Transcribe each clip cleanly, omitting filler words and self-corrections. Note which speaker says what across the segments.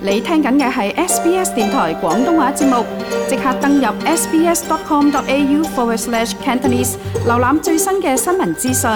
Speaker 1: 你聽緊嘅係 SBS 電台廣東話節目，即刻登入 sbs.com.au/Cantonese 瀏覽最新嘅新聞資訊。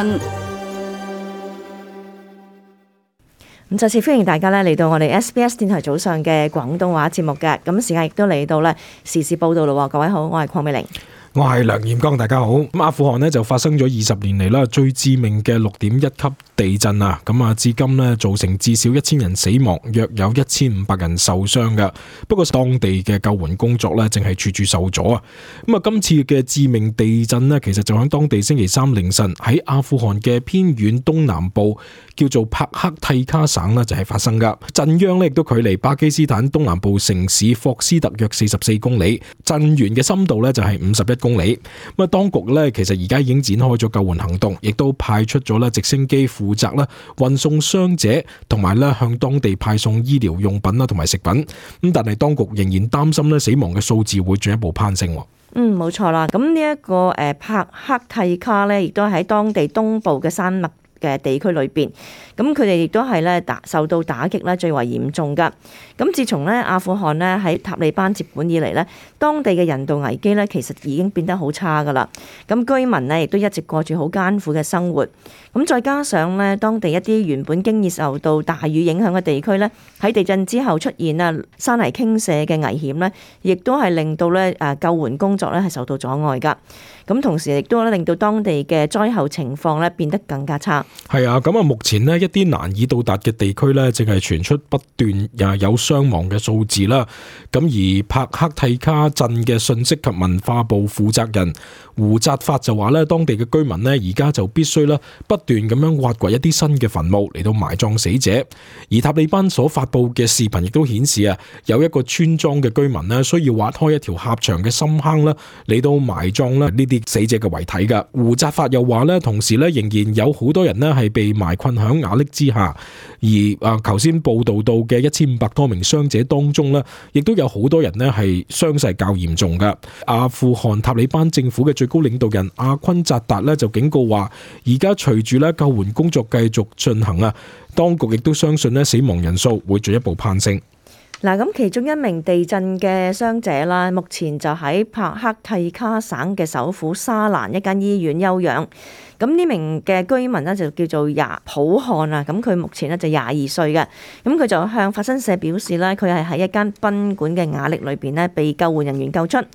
Speaker 2: 咁再次歡迎大家咧嚟到我哋 SBS 電台早上嘅廣東話節目嘅，咁時間亦都嚟到咧時事報道咯。各位好，我係鄺美玲。
Speaker 3: 我係梁彥剛，大家好。咁阿富汗呢就發生咗20年嚟啦最致命嘅6.1級地震啊！咁啊，至今呢造成至少1000人死亡，約有1500人受傷噶。不過當地嘅救援工作呢正係處處受阻啊！咁啊，今次嘅致命地震呢，其實就喺當地星期三凌晨喺阿富汗嘅偏遠東南部叫做帕克蒂卡省呢就係發生噶。震央呢亦都距離巴基斯坦東南部城市霍斯特約44公里，震源嘅深度呢就係51公里。咁啊，當局咧其實而家已經展開咗救援行動，亦都派出咗咧直升機負責咧運送傷者，同埋咧向當地派送醫療用品啦同埋食品。咁但係當局仍然擔心咧死亡嘅數字會進一步攀升。
Speaker 2: 冇錯啦。咁呢一個帕克蒂卡咧，亦都喺當地東部嘅山脈嘅地區裏邊，咁佢哋亦都係咧受到打擊咧最為嚴重噶。咁自從咧阿富汗咧喺塔利班接管以嚟咧，當地嘅人道危機咧其實已經變得好差噶啦。咁居民咧亦都一直過住好艱苦嘅生活。咁再加上咧當地一啲原本經已受到大雨影響嘅地區咧，喺地震之後出現啊山泥傾瀉嘅危險咧，亦都係令到咧救援工作咧係受到阻礙噶。咁同時亦都令到當地嘅災後情況咧變得更加差。
Speaker 3: 係啊，咁啊，目前呢一啲難以到達嘅地區呢，淨係傳出不斷有傷亡嘅數字啦。咁而帕克蒂卡鎮嘅信息及文化部負責人胡扎法就話呢，當地嘅居民呢而家就必須啦不斷咁樣挖掘一啲新嘅墳墓嚟到埋葬死者。而塔利班所發布嘅視頻亦都顯示啊，有一個村莊嘅居民呢需要挖開一條狹長嘅深坑啦嚟到埋葬啦呢啲死者嘅遺體噶。胡扎法又話呢，同時呢仍然有好多人呢係被埋困響瓦礫之下，而頭先報道到嘅1500多名傷者當中呢，亦都有好多人呢係傷勢較嚴重噶。阿富汗塔利班政府嘅最高領導人阿昆扎達呢就警告話，而家隨住呢救援工作繼續進行啊，當局亦都相信呢死亡人數會進一步攀升。
Speaker 2: 嗱，咁其中一名地震嘅傷者啦，目前就喺帕克蒂卡省嘅首府沙蘭一間醫院休養。咁呢名嘅居民呢，就叫做普漢啊，咁佢目前呢就22歲嘅，咁佢就向法新社表示呢，佢係喺一間賓館嘅瓦礫裏邊呢被救援人員救出，咁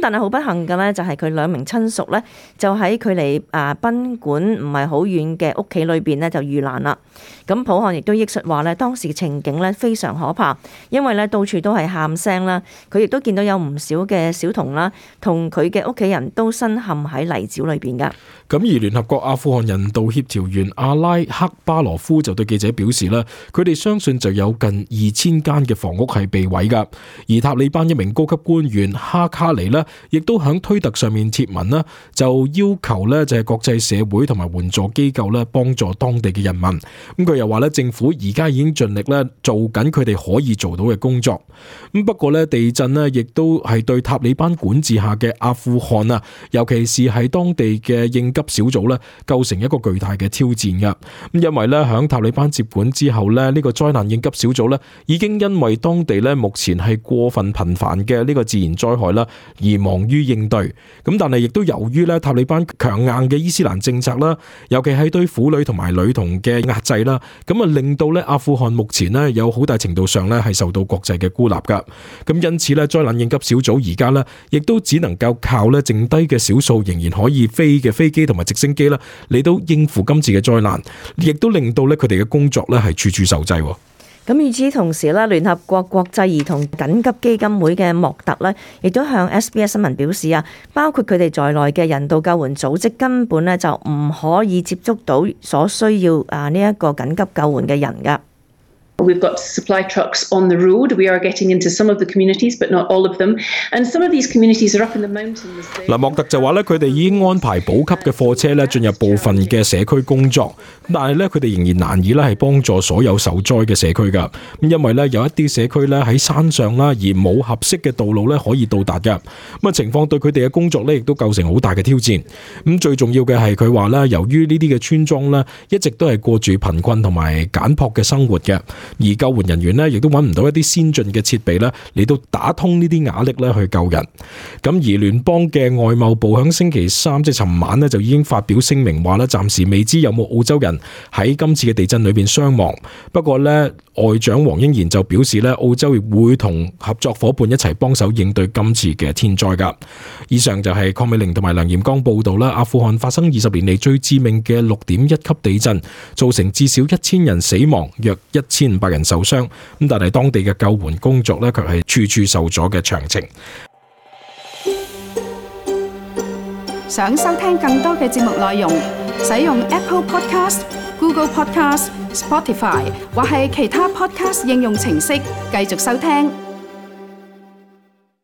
Speaker 2: 但係好不幸嘅呢，就係佢2名親屬呢，就喺距離賓館唔係好遠嘅屋企裏邊呢就遇難啦。咁普漢亦都憶述話呢，當時嘅情景呢非常可怕，因為呢到處都係喊聲啦，佢亦都見到有唔少嘅小童啦，同佢嘅屋企人都身陷喺泥沼裏邊噶。
Speaker 3: 咁而聯合國阿富汗人道協調員阿拉克巴羅夫就對記者表示啦，佢哋相信就有近2000間嘅房屋係被毀噶。而塔利班一名高級官員哈卡尼呢，亦都喺推特上面貼文啦，就要求呢就係國際社會同埋援助機構呢幫助當地嘅人民。咁佢又話呢，政府而家已經盡力呢做緊佢哋可以做到嘅工作。咁不過呢，地震呢亦都係對塔利班管治下嘅阿富汗啊，尤其是係當地嘅應急小組呢，構成一個巨大嘅挑戰噶。咁因為呢，響塔利班接管之後呢，呢個災難應急小組呢已經因為當地呢目前係過分頻繁嘅呢個自然災害啦，而忙於應對。咁但係亦都由於呢塔利班強硬嘅伊斯蘭政策啦，尤其係對婦女同埋女童嘅壓制啦，咁啊令到呢阿富汗目前呢有好大程度上呢係受到國際嘅孤立噶。咁因此呢，災難應急小組而家呢亦都只能夠靠呢剩低嘅少數仍然可以飛嘅飛機同埋直升機啦，嚟到應付今次嘅災難，亦都令到咧佢哋嘅工作咧係處處受制。
Speaker 2: 咁與此同時咧，聯合國國際兒童緊急基金會嘅莫特咧，亦都向 SBS 新聞表示啊，包括佢哋在內嘅人道救援組織根本咧就唔可以接觸到所需要呢一個緊急救援嘅人噶。
Speaker 4: We've got supply trucks on the road. We are getting into some of the communities, but not all of them. And some of these communities are up in the mountains.
Speaker 3: 嗱，莫特就話咧，佢哋已經安排補給嘅貨車咧進入部分嘅社區工作，但係咧佢哋仍然難以咧係幫助所有受災嘅社區噶。咁因為咧有一啲社區咧喺山上啦，而冇合適嘅道路咧可以到達噶。咁啊情況對佢哋嘅工作咧亦都構成好大嘅挑戰。咁最重要嘅係佢話咧，由於呢啲嘅村莊咧一直都係過住貧困同埋簡樸嘅生活嘅。而救援人員呢，亦都揾唔到一啲先進嘅設備咧嚟到打通呢啲瓦礫咧去救人。咁而聯邦嘅外貿部響星期三即係尋晚呢，就已經發表聲明話咧，暫時未知有冇澳洲人喺今次嘅地震裏邊傷亡。不過咧，外長黃英賢就表示咧，澳洲亦會同合作伙伴一齊幫手應對今次嘅天災噶。以上就係鄺美玲同埋梁炎剛報道啦。阿富汗發生20年嚟最致命嘅6.1級地震，造成至少1000人死亡，約1500人受傷。咁但係當地嘅救援工作咧，卻係處處受阻嘅詳情。
Speaker 1: 想收聽更多嘅節目內容，使用 Apple Podcast、Google Podcast、Spotify 或係其他 Podcast 應用程式繼續收聽。